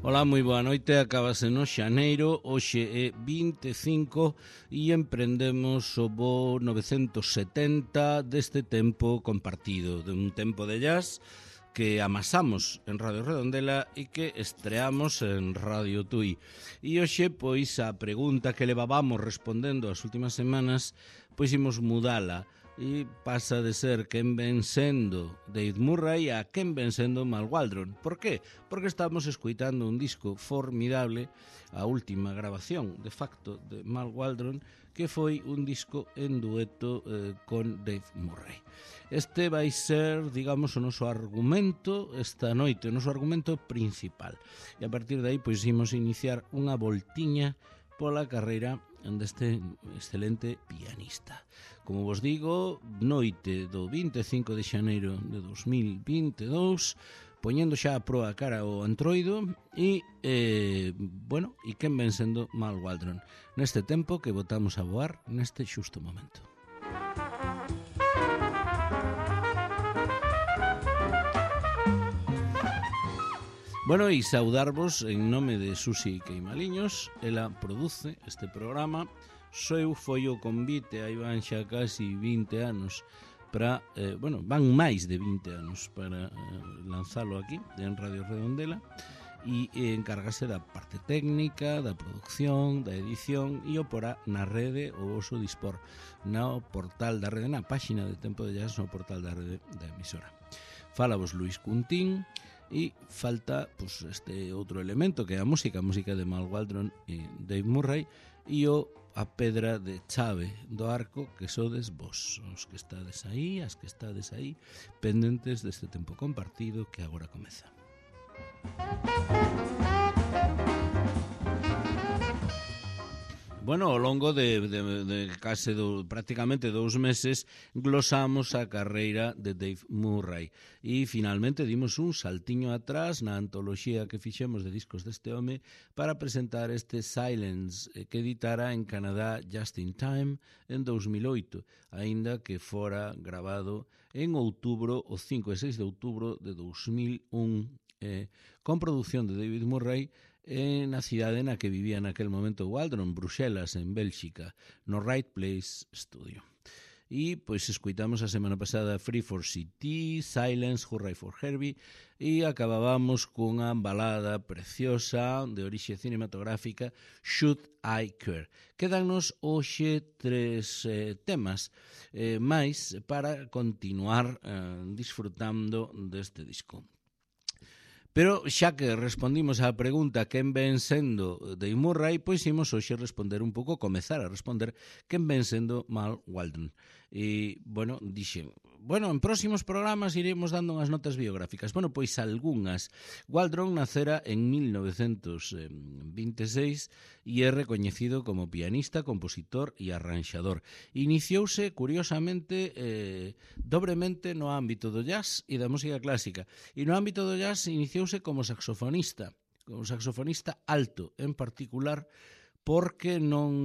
Ola, moi boa noite, acabase no xaneiro, hoxe é 25 e emprendemos o voo 970 deste tempo compartido, de un tempo de jazz que amasamos en Radio Redondela e que estreamos en Radio Tui. E hoxe, pois, a pregunta que levábamos respondendo as últimas semanas, pois imos mudala e pasa de ser quen ven sendo Dave Murray a quen ven sendo Mal Waldron. Por qué? Porque estamos escuitando un disco formidable, a última grabación, de facto, de Mal Waldron, que foi un disco en dueto con Dave Murray. Este vai ser, digamos, o noso argumento esta noite, o noso argumento principal. E a partir de aí, pois, imos iniciar unha voltiña pola carreira deste excelente pianista. Como vos digo, noite do 25 de xaneiro de 2022, poñendo xa a proa cara ao Antroido e, e quen ven sendo Mal Waldron neste tempo que botamos a voar neste xusto momento. Bueno, e saudarvos en nome de Susi Queimaliños. Ela produce este programa. Foi o convite, aí van xa casi 20 anos para, van máis de 20 anos para lanzalo aquí en Radio Redondela e encárgase da parte técnica, da producción, da edición e o porá na rede o voso dispor no portal da rede, na páxina de Tempo de Jazz, no portal da rede da emisora. Fálavos Luis Cuntín. E falta pues, este outro elemento que é a música de Mal Waldron e Dave Murray e a pedra de chave do arco que sodes vos, os que estades aí, as que estades aí, pendentes deste tempo compartido que agora comeza. Bueno, ao longo de case prácticamente 2 meses glosamos a carreira de Dave Murray e finalmente dimos un saltiño atrás na antoloxía que fixemos de discos deste home para presentar este Silence que editara en Canadá Just in Time en 2008, aínda que fora grabado en outubro, o 5 e 6 de outubro de 2001, con produción de David Murray na cidade na que vivía naquel momento Waldron, Bruxelas, en Bélxica, no Right Place Studio. E, pois, escuitamos a semana pasada Free for CT, Silence, Hurray for Herbie, e acabábamos cunha balada preciosa de orixe cinematográfica, Should I Care. Quédanos hoxe 3 temas máis para continuar disfrutando deste disco. Pero xa que respondimos á pregunta quen ven sendo Dave Murray, pois imos hoxe comezar a responder quen ven sendo Mal Waldron. E, dixen, en próximos programas iremos dando unhas notas biográficas. Pois algunhas. Waldron nacera en 1926 e é recoñecido como pianista, compositor e arranxador. Iniciouse, curiosamente, dobremente no ámbito do jazz e da música clásica. E no ámbito do jazz iniciouse como saxofonista alto, en particular, porque non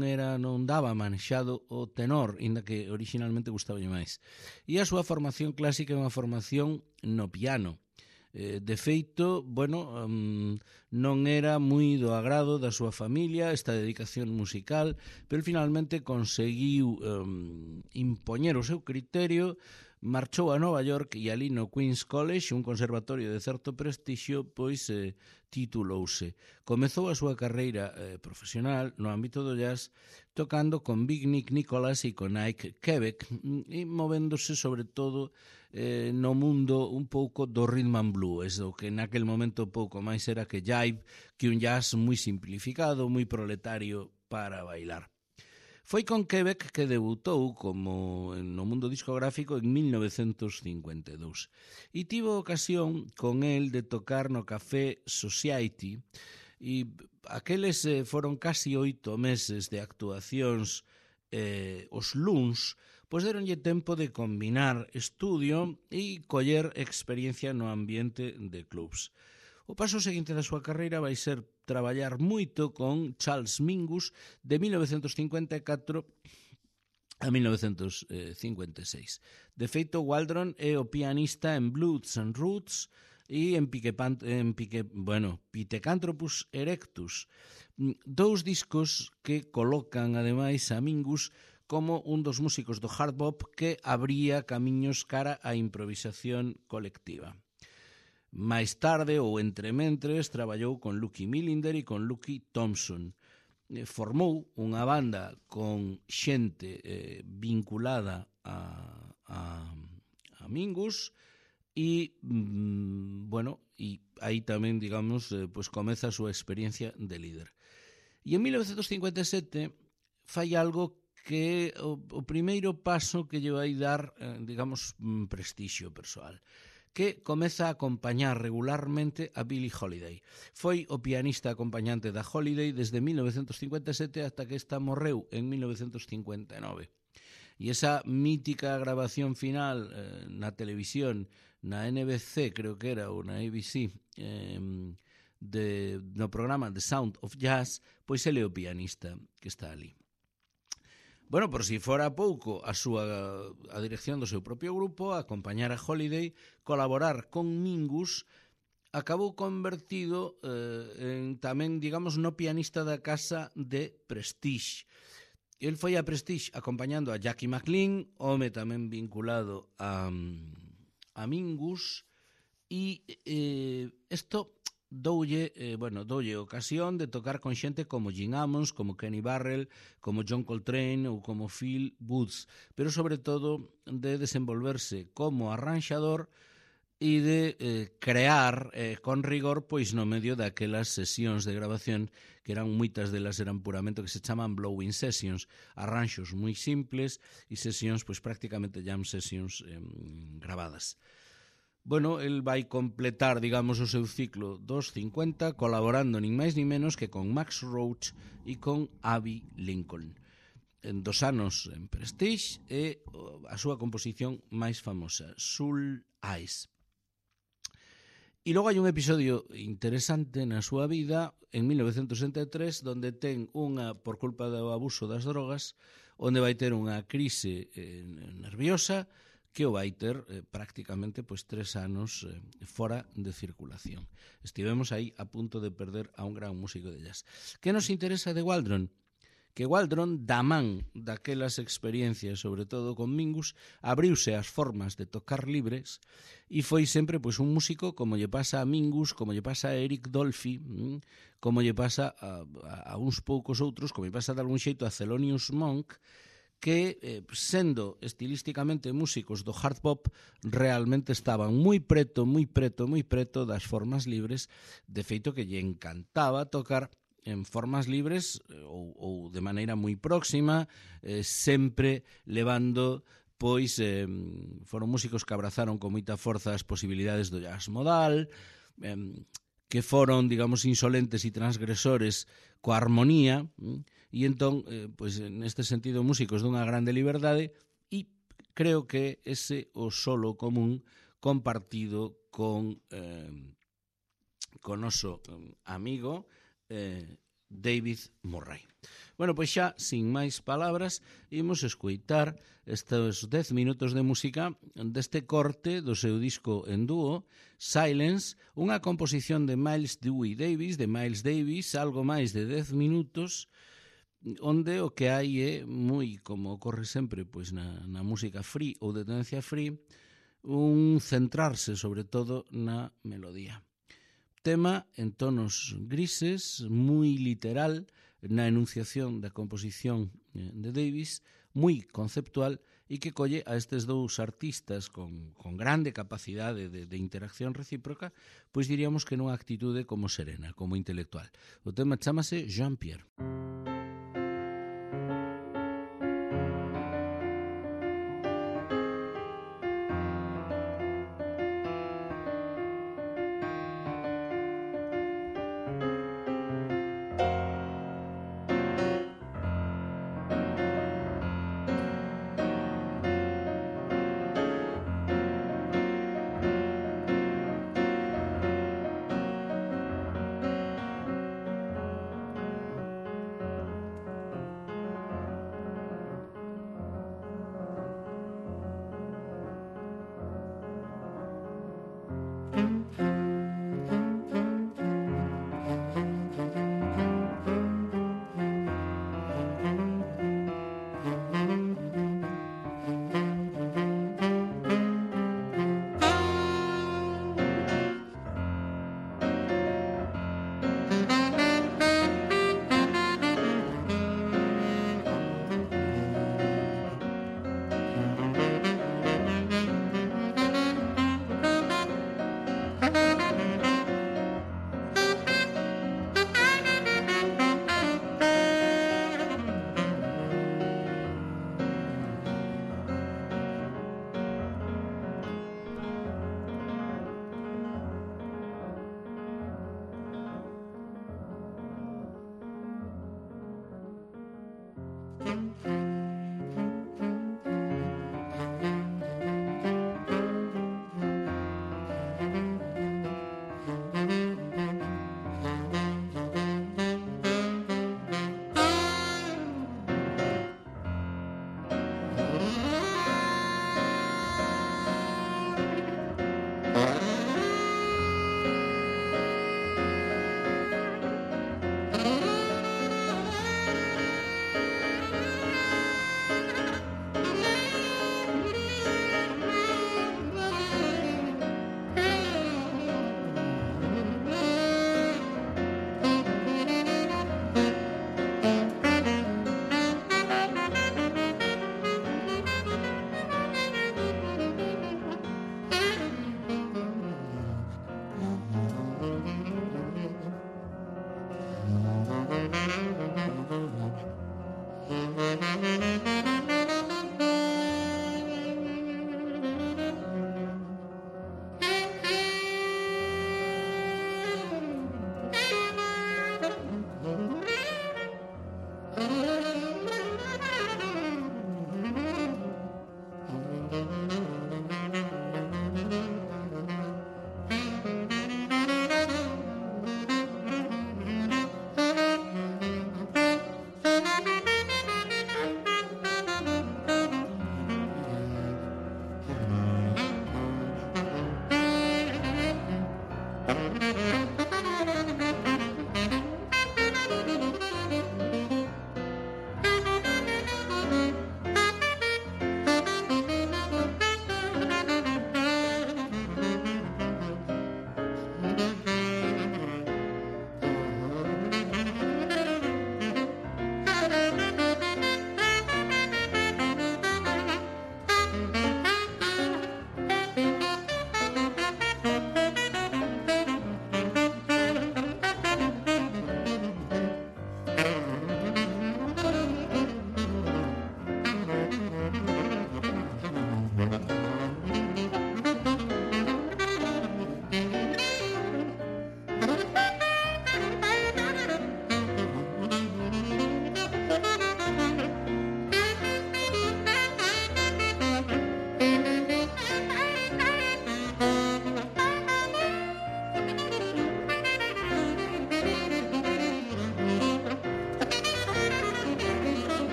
daba manexado o tenor, inda que originalmente gustaballe máis. E a súa formación clásica é unha formación no piano. De feito, non era moi do agrado da súa familia esta dedicación musical, pero finalmente conseguiu impoñer o seu criterio, marchou a Nova York e ali no Queen's College, un conservatorio de certo prestixio, pois titulouse. Comezou a súa carreira profesional no ámbito do jazz tocando con Big Nick Nicholas e con Ike Quebec e movéndose sobre todo no mundo un pouco do rhythm and blues, o que naquel momento pouco máis era que jive, que un jazz moi simplificado, moi proletario para bailar. Foi con Quebec que debutou como no mundo discográfico en 1952 e tivo ocasión con el de tocar no Café Society e aqueles foron casi 8 meses de actuacións os luns, pois deronlle tempo de combinar estudio e coller experiencia no ambiente de clubs. O paso seguinte da súa carreira vai ser traballar moito con Charles Mingus de 1954 a 1956. De feito, Waldron é o pianista en Blues and Roots e en Pithecanthropus erectus. Dous discos que colocan, ademais, a Mingus como un dos músicos do hard bop que abría camiños cara á improvisación colectiva. Máis tarde, ou entrementres, traballou con Lucky Millinder e con Lucky Thompson. Formou unha banda con xente vinculada a Mingus e, e aí tamén, digamos, pues comeza a súa experiencia de líder. E en 1957 fai algo que o primeiro paso que lle vai dar, digamos, prestixio persoal, que comeza a acompañar regularmente a Billie Holiday. Foi o pianista acompañante da Holiday desde 1957 ata que esta morreu en 1959. E esa mítica grabación final na televisión, na NBC, creo que era, ou na ABC, no programa The Sound of Jazz, pois ele é o pianista que está ali. Bueno, por si fora pouco, a dirección do seu propio grupo, acompañar a Holiday, colaborar con Mingus, acabou convertido en tamén, digamos, no pianista da casa de Prestige. El foi a Prestige acompañando a Jackie McLean, home tamén vinculado a Mingus, e isto doulle ocasión de tocar con xente como Gene Ammons, como Kenny Burrell, como John Coltrane ou como Phil Woods, pero sobre todo de desenvolverse como arranxador e de crear con rigor pois no medio daquelas sesións de grabación que eran moitas delas eran puramente que se chaman blowing sessions, arranxos moi simples e sesións pois prácticamente jam sessions grabadas. Bueno, el vai completar, digamos, o seu ciclo dos 50 colaborando nin máis nin menos que con Max Roach e con Abbey Lincoln. En 2 anos en Prestige e a súa composición máis famosa, Soul Eyes. E logo hai un episodio interesante na súa vida en 1963 donde ten unha, por culpa do abuso das drogas, onde vai ter unha crise nerviosa que o vai ter prácticamente 3 anos fora de circulación. Estivemos aí a punto de perder a un gran músico de jazz. Que nos interesa de Waldron? Que Waldron, da man daquelas experiencias, sobre todo con Mingus, abriuse as formas de tocar libres e foi sempre un músico como lle pasa a Mingus, como lle pasa a Eric Dolphy, como lle pasa a uns poucos outros, como lle pasa de algún xeito a Thelonious Monk, que, sendo estilísticamente músicos do hard bop, realmente estaban moi preto das formas libres, de feito que lle encantaba tocar en formas libres ou de maneira moi próxima, sempre levando, foron músicos que abrazaron con moita forza as posibilidades do jazz modal, que foron, digamos, insolentes e transgresores coa armonía, e entón, neste sentido, músicos dunha grande liberdade, e creo que ese o solo común compartido con noso amigo David Murray. Bueno, pois xa, sin máis palabras, imos escoitar estes 10 minutos de música deste corte do seu disco en dúo, Silence, unha composición de Miles Dewey Davis, algo máis de 10 minutos, onde o que hai é moi, como ocorre sempre na música free ou de tendencia free, un centrarse sobre todo na melodía. Tema en tonos grises, moi literal na enunciación da composición de Davis, moi conceptual e que colle a estes dous artistas con grande capacidade de interacción recíproca, pois diríamos que nunha actitude como serena, como intelectual. O tema chámase Jean-Pierre.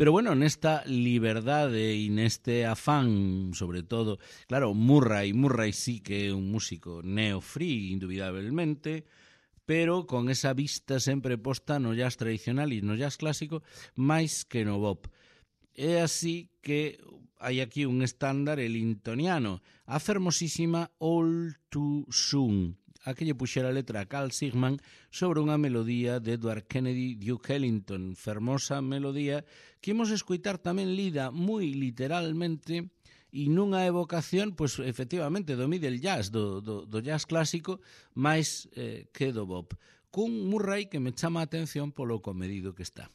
Pero bueno, nesta liberdade e neste afán, sobre todo, claro, Murray sí que é un músico neo-free, indubidablemente, pero con esa vista sempre posta no jazz tradicional e no jazz clásico máis que no bop. É así que hai aquí un estándar elintoniano, a fermosísima All Too Soon, a que lle puxera a letra a Carl Sigman sobre unha melodía de Edward Kennedy Duke Ellington, fermosa melodía que imos escoitar tamén lida moi literalmente e nunha evocación, pois efectivamente, do middle jazz, do jazz clásico, máis que do bop, cun Murray que me chama a atención polo comedido que está.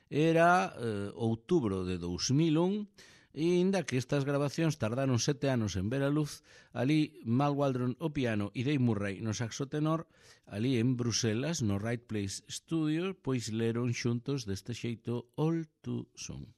Era outubro de 2001, e inda que estas grabacións tardaron 7 anos en ver a luz, ali Mal Waldron o piano e Dave Murray no saxo tenor, ali en Bruselas, no Right Place Studio, pois leron xuntos deste xeito All Too Soon.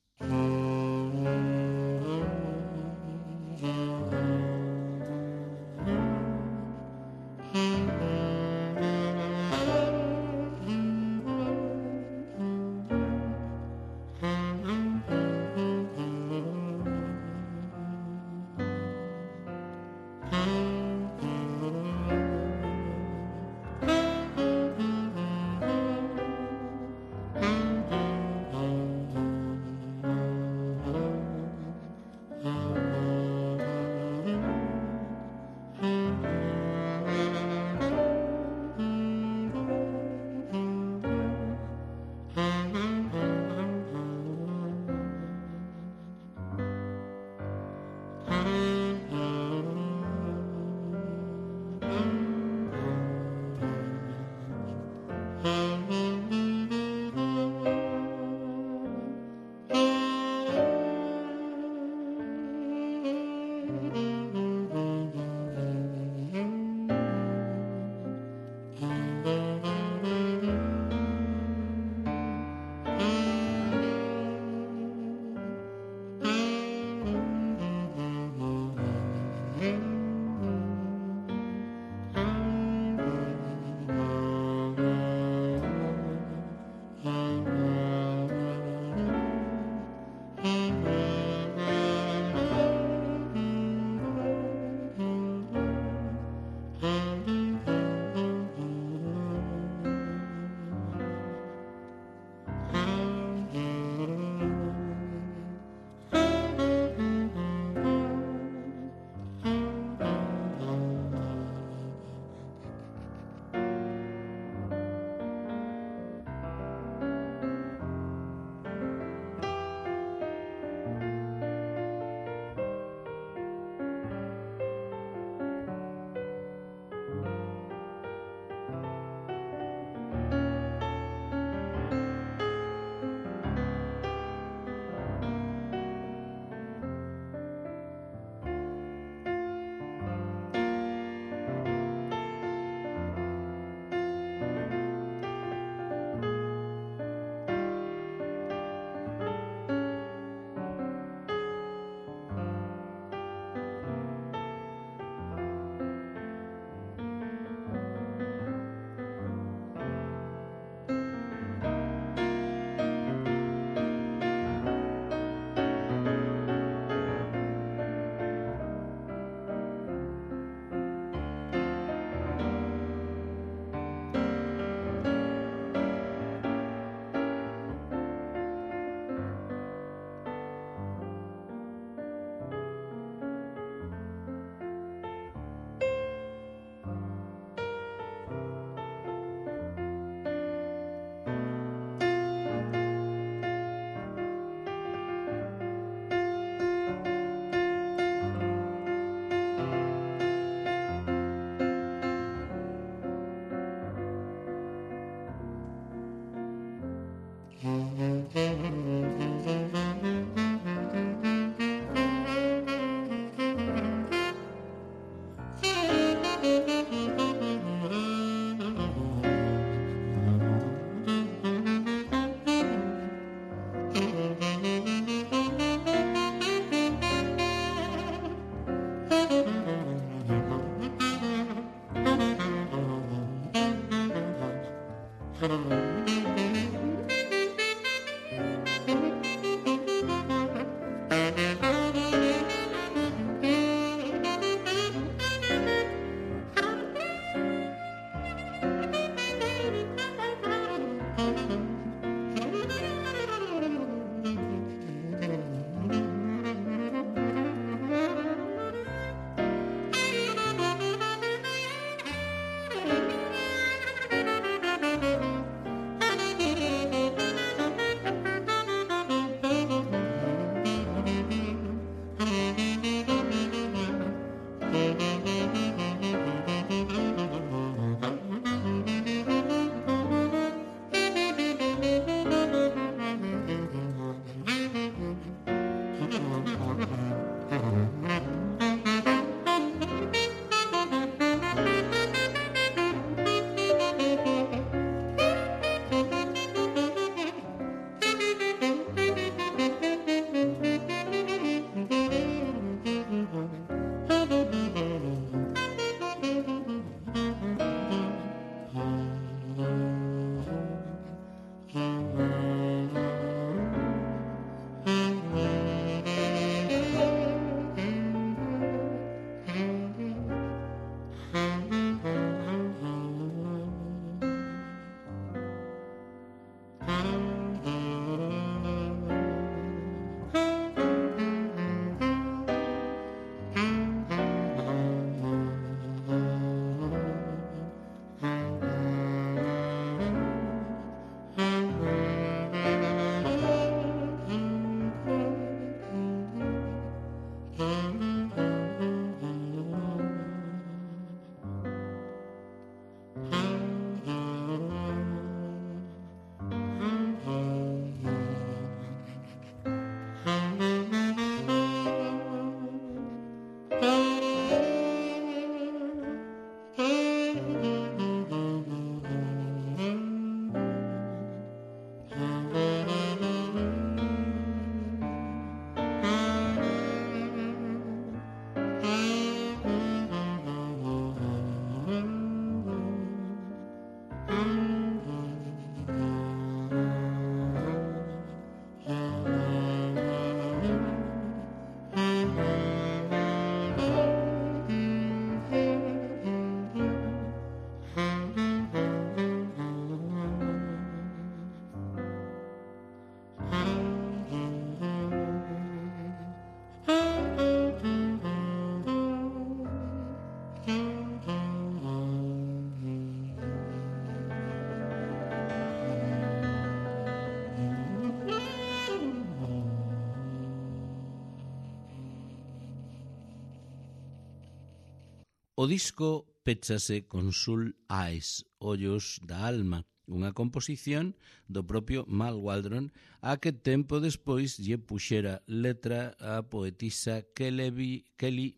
O disco péchase con Soul Eyes, Ollos da Alma, unha composición do propio Mal Waldron a que tempo despois lle puxera letra a poetisa Kelly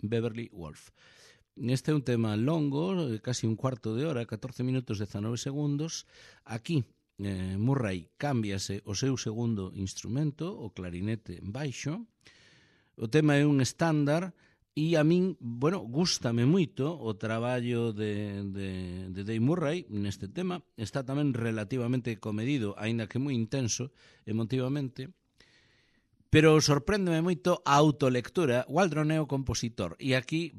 Beverly Wolf. Este é un tema longo, casi un cuarto de hora, 14 minutos 19 segundos. Aquí Murray cámbiase o seu segundo instrumento, o clarinete baixo. O tema é un estándar e a min, gústame moito o traballo de Dave Murray neste tema. Está tamén relativamente comedido, aínda que moi intenso emotivamente. Pero sorpréndeme moito a autolectura. Waldron é o compositor e aquí,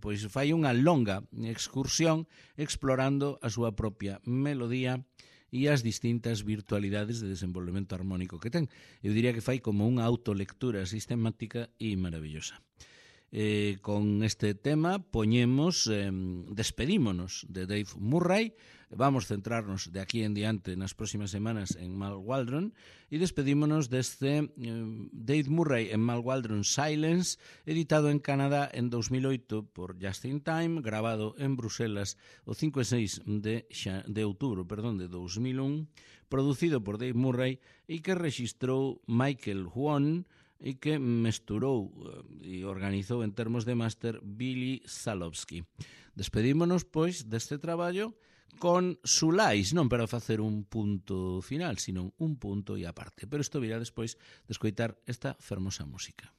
pois fai unha longa excursión explorando a súa propia melodía e as distintas virtualidades de desenvolvemento armónico que ten. Eu diría que fai como unha autolectura sistemática e maravillosa. Con este tema despedímonos de Dave Murray. Vamos centrarnos de aquí en diante nas próximas semanas en Mal Waldron e despedímonos deste Dave Murray en Mal Waldron Silence, editado en Canadá en 2008 por Just in Time, grabado en Bruselas o 5 e 6 de outubro de 2001, producido por Dave Murray e que rexistrou Michael Huon e que mesturou e organizou en termos de máster Billy Salowski. Despedímonos, pois, deste traballo con Sulais, non para facer un punto final, sino un punto e aparte. Pero isto virá despois de escoitar esta fermosa música.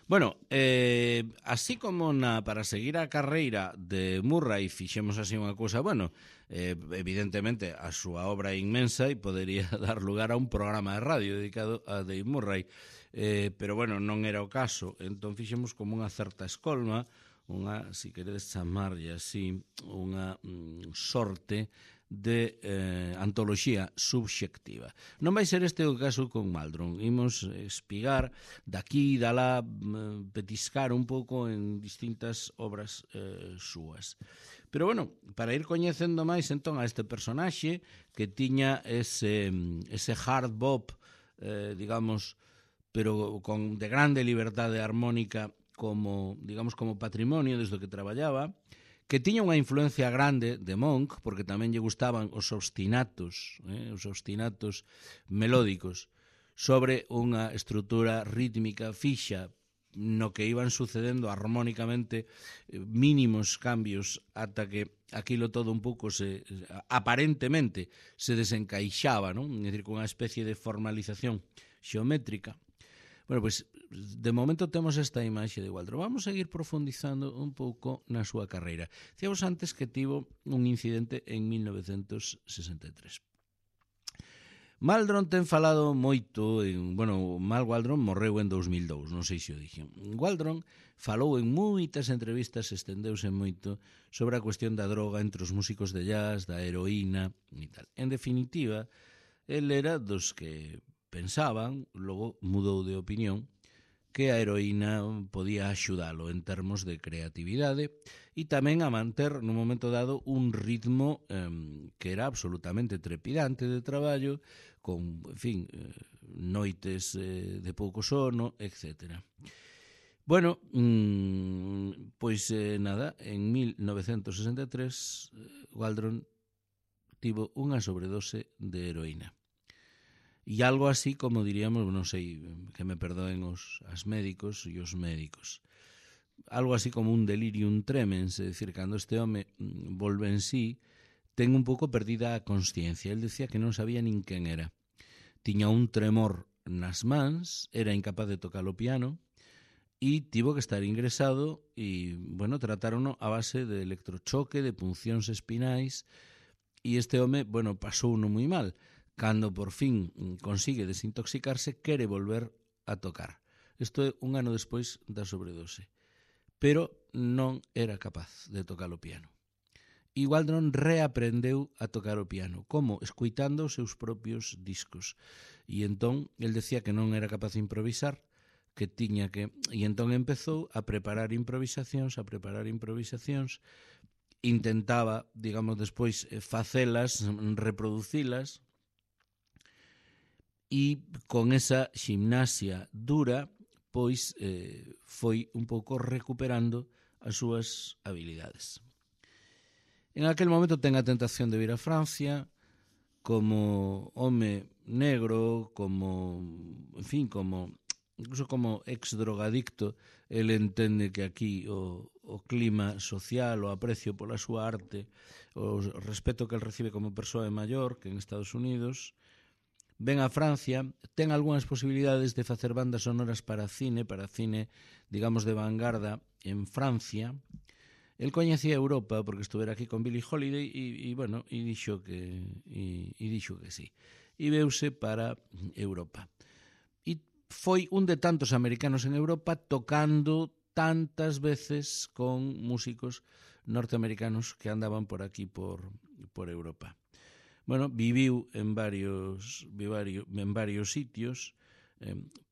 Bueno, así como para seguir a carreira de Murray fixemos así unha cousa, bueno, evidentemente a súa obra é inmensa e podería dar lugar a un programa de radio dedicado a Dave Murray, pero bueno, non era o caso, entón fixemos como unha certa escolma, unha, si queredes chamarlle así, unha sorte de antoloxía subxectiva. Non vai ser este o caso con Maldron. Imos espigar daqui e dalá, petiscar un pouco en distintas obras súas. Pero bueno, para ir coñecendo máis entón a este personaxe que tiña ese hard bop, digamos, pero con de grande liberdade armónica como, digamos, como patrimonio desde o que traballaba, que tiña unha influencia grande de Monk, porque tamén lle gustaban os obstinatos melódicos, sobre unha estrutura rítmica fixa no que iban sucedendo armónicamente mínimos cambios ata que aquilo todo un pouco aparentemente se desencaixaba, non? É dicir, con unha especie de formalización xeométrica. Bueno, pois, de momento temos esta imaxe de Waldron. Vamos a seguir profundizando un pouco na súa carreira. Dicíamos antes que tivo un incidente en 1963. Maldron ten falado moito, Mal Waldron morreu en 2002, non sei se o dixen. Waldron falou en moitas entrevistas, estendeuse moito sobre a cuestión da droga entre os músicos de jazz, da heroína e tal. En definitiva, el era dos que pensaban, logo mudou de opinión, que a heroína podía axudalo en termos de creatividade e tamén a manter nun momento dado un ritmo que era absolutamente trepidante de traballo, con, en fin, noites de pouco sono, etc. Bueno, pois nada, en 1963 Waldron tivo unha sobredose de heroína. E algo así como diríamos, non sei, que me perdoen as médicos e os médicos, algo así como un delirium tremens, é dicir, cando este home volve en sí, ten un pouco perdida a consciencia. El decía que non sabía nin quen era. Tiña un tremor nas mans, era incapaz de tocar o piano e tivo que estar ingresado e, bueno, tratárono a base de electrochoque, de puncións espinais e este home, bueno, pasou no moi mal. Cando por fin consigue desintoxicarse, quere volver a tocar. Isto é un ano despois da sobredose. Pero non era capaz de tocar o piano. E Waldron reaprendeu a tocar o piano. Como? Escuitando os seus propios discos. E entón, el decía que non era capaz de improvisar, que tiña que... E entón empezou a preparar improvisacións, intentaba, digamos, despois facelas, reproducilas, e con esa ximnasia dura, pois foi un pouco recuperando as súas habilidades. En aquel momento ten a tentación de vir a Francia como home negro, como, en fin, como incluso como ex-drogadicto. Ele entende que aquí o clima social, o aprecio pola súa arte, o respeto que el recibe como persoa maior que en Estados Unidos. Ven a Francia, ten algunhas posibilidades de facer bandas sonoras para cine, digamos, de vanguarda en Francia. El coñecía Europa porque estuvera aquí con Billie Holiday e dixo que sí. E veuse para Europa. E foi un de tantos americanos en Europa tocando tantas veces con músicos norteamericanos que andaban por aquí, por Europa. Bueno, viviu en varios sitios,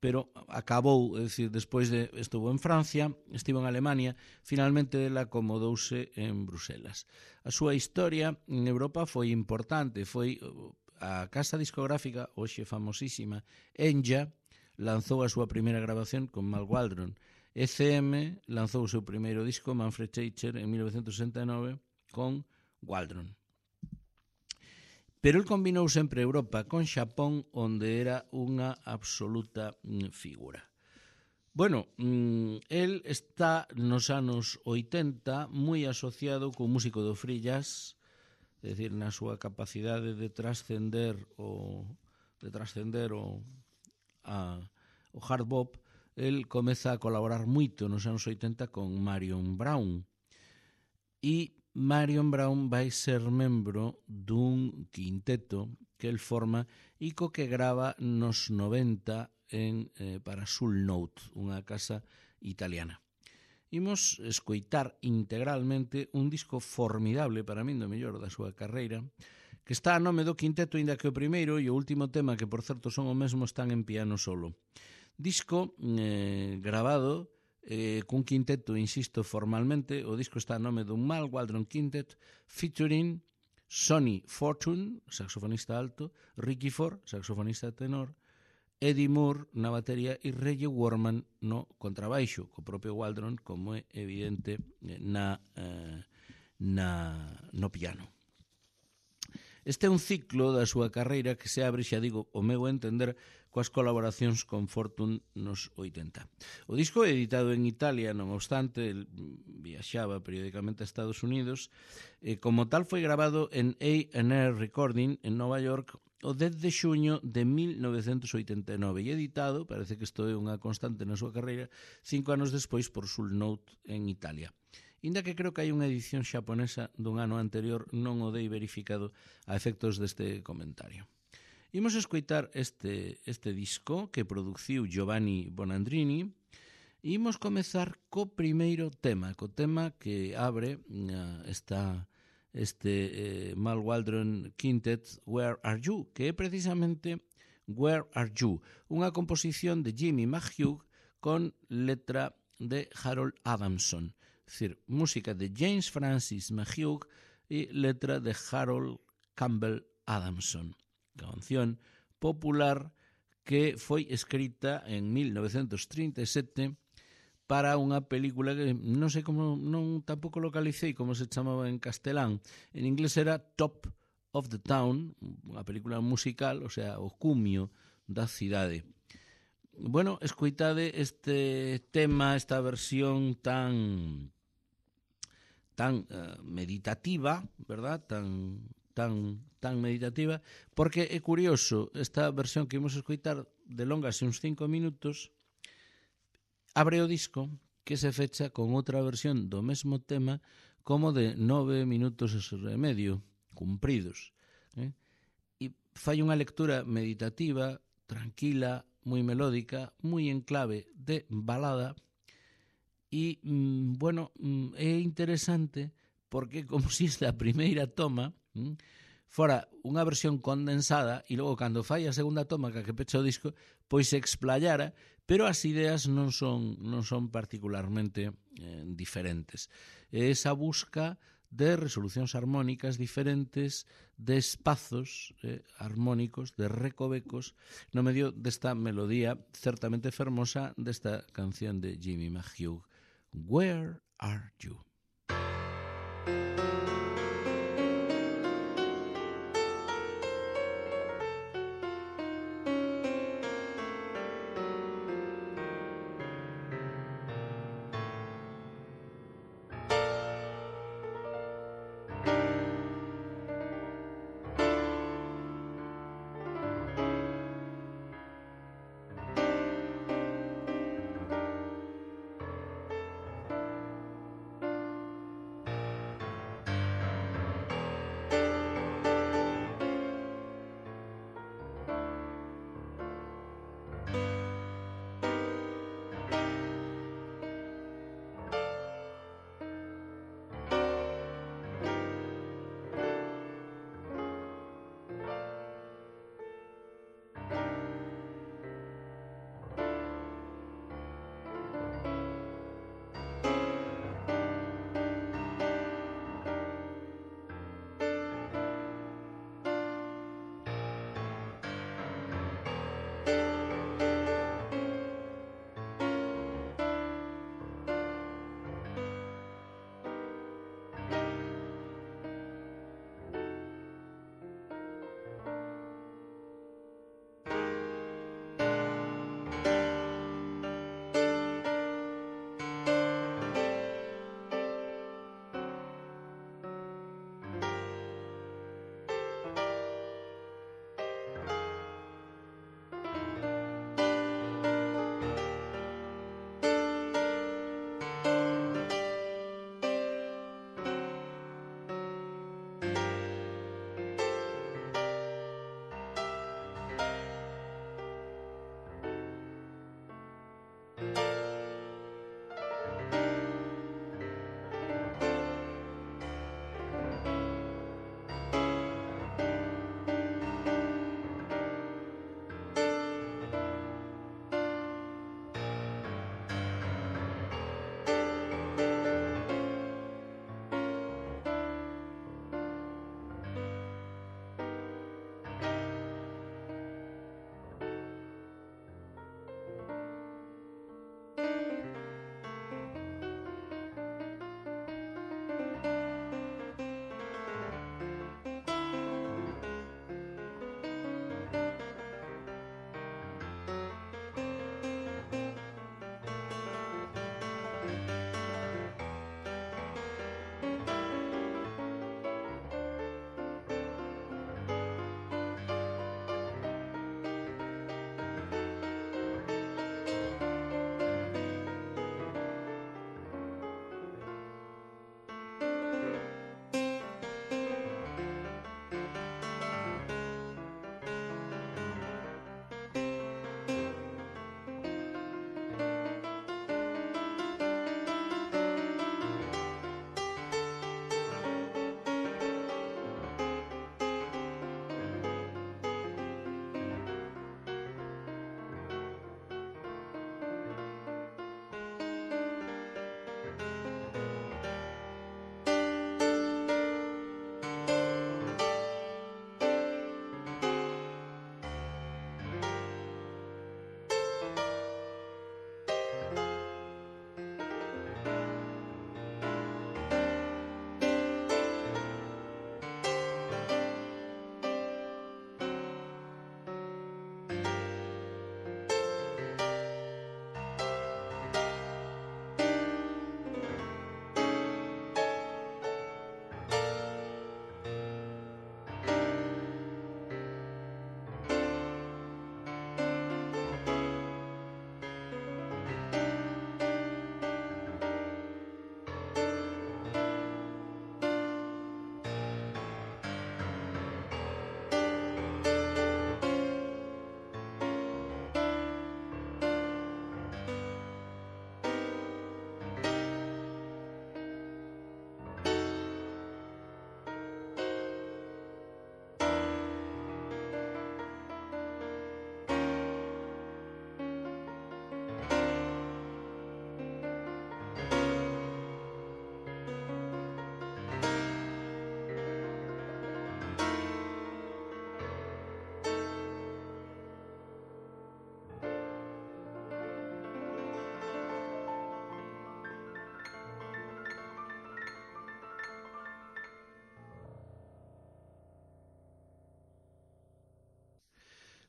pero acabou, é dicir, despois estuvo en Francia, estivo en Alemania, finalmente ela acomodouse en Bruselas. A súa historia en Europa foi importante, foi a casa discográfica, hoxe famosísima, Enja, lanzou a súa primeira grabación con Mal Waldron. ECM lanzou o seu primeiro disco, Manfred Eicher, en 1969, con Waldron. Pero el combinou sempre Europa con Xapón, onde era unha absoluta figura. Bueno, el está nos anos 80 moi asociado co músico do free jazz, é dicir, na súa capacidade de trascender o hard bop, el comeza a colaborar moito nos anos 80 con Marion Brown. E Marion Brown vai ser membro dun quinteto que el forma e co que grava nos 90 para Soul Note, unha casa italiana. Imos escoitar integralmente un disco formidable para min do mellor da súa carreira, que está a nome do quinteto, inda que o primeiro e o último tema, que por certo son o mesmo, están en piano solo. Disco grabado cun quinteto, insisto, formalmente. O disco está a nome dun Mal Waldron Quintet, featuring Sonny Fortune, saxofonista alto, Ricky Ford, saxofonista tenor, Eddie Moore na batería e Reggie Worman no contrabaixo, co propio Waldron, como é evidente, no piano. Este é un ciclo da súa carreira que se abre, xa digo, o meu entender, coas colaboracións con Fortune nos 80. O disco é editado en Italia, non obstante, el viaxaba periódicamente a Estados Unidos, e como tal foi grabado en A&R Recording en Nova York o 10 de xuño de 1989 e editado, parece que isto é unha constante na súa carreira, 5 anos despois por Soul Note en Italia. Inda que creo que hai unha edición xaponesa dun ano anterior, non o dei verificado a efectos deste comentario. Imos escoitar este disco que produciu Giovanni Bonandrini e imos comezar co primeiro tema, co tema que abre este Mal Waldron Quintet, Where Are You, que é precisamente Where Are You, unha composición de Jimmy McHugh con letra de Harold Adamson, es decir, música de James Francis McHugh e letra de Harold Campbell Adamson, canción popular que foi escrita en 1937 para unha película que non sei como, non tampouco localicei como se chamaba en castelán. En inglés era Top of the Town, unha película musical, o sea, o cumio da cidade. Bueno, escoitade este tema, esta versión tan meditativa, verdad? Tan meditativa, porque é curioso, esta versión que imos escoitar delongase uns 5 minutos, abre o disco que se fecha con outra versión do mesmo tema como de 9 minutos e medio, cumpridos. E fai unha lectura meditativa, tranquila, moi melódica, moi en clave de balada. E, bueno, é interesante porque como se esta primeira toma fora unha versión condensada e logo cando fai a segunda toma que pecha o disco, pois se explayara, pero as ideas non son particularmente diferentes. É esa busca de resolucións armónicas diferentes, de espazos armónicos, de recovecos, no medio desta melodía certamente fermosa desta canción de Jimmy McHugh, Where Are You?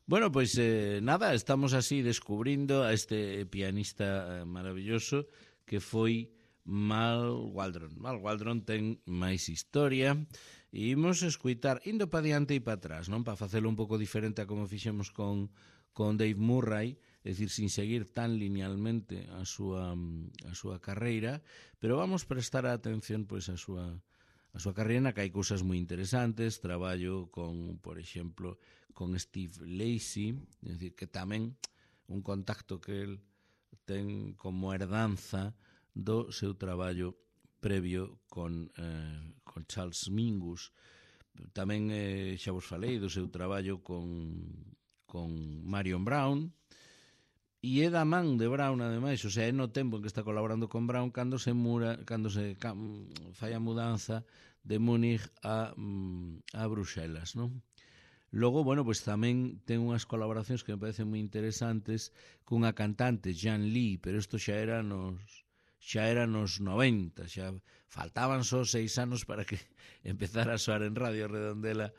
Bueno, pois nada, estamos así descubrindo a este pianista maravilloso que foi Mal Waldron. Mal Waldron ten máis historia e imos escuitar indo pa diante e pa atrás, non? Para facelo un pouco diferente a como fixemos con Dave Murray, é dicir, sin seguir tan linealmente a súa carreira, pero vamos prestar a atención pois a súa carreira, que hai cousas moi interesantes. Traballo con, por exemplo, con Steve Lacy, é dicir, que tamén un contacto que el ten como herdanza do seu traballo previo con Charles Mingus. Tamén xa vos falei do seu traballo con Marion Brown, e é da man de Brown, ademais, o sea, é no tempo en que está colaborando con Brown cando se fai a mudanza de Múnich a Bruxelas, non? Logo, bueno, pois tamén ten unhas colaboracións que me parecen moi interesantes cunha cantante, Jan Lee, pero isto xa era nos 90, xa faltaban só 6 anos para que empezara a soar en Radio Redondela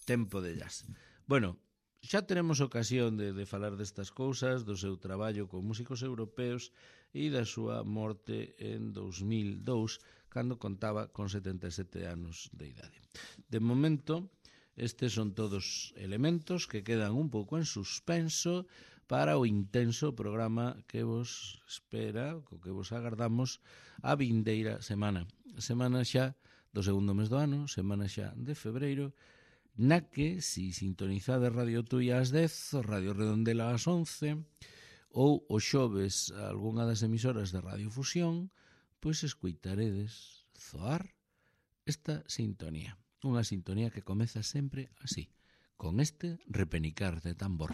Tempo de Jazz. Bueno, xa teremos ocasión de falar destas cousas, do seu traballo con músicos europeos e da súa morte en 2002, cando contaba con 77 anos de idade. De momento, estes son todos elementos que quedan un pouco en suspenso para o intenso programa que vos espera, co que vos agardamos a vindeira semana. Semana xa do segundo mes do ano, semana xa de febreiro, na que, si sintonizade Radio Tui ás 10, Radio Redondela ás 11, ou o xoves algunha das emisoras de Radio Fusión, pois escoitaredes zoar esta sintonía. Unha sintonía que comeza sempre así, con este repenicar de tambor.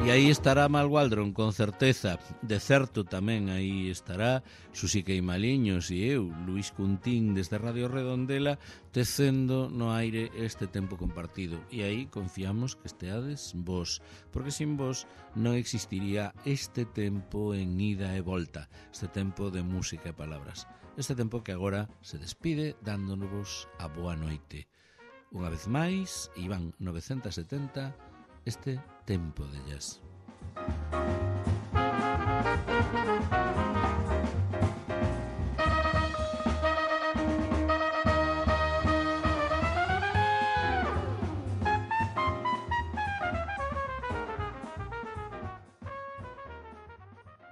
E aí estará Mal Waldron, con certeza. De certo tamén aí estará Susi Queimaliños e eu, Luís Cuntín, desde Radio Redondela, tecendo no aire este tempo compartido. E aí confiamos que esteades vos, porque sin vos non existiría este tempo en ida e volta, este tempo de música e palabras. Este tempo que agora se despide dándonos a boa noite. Unha vez máis, Iván 970, este Tempo de Jazz.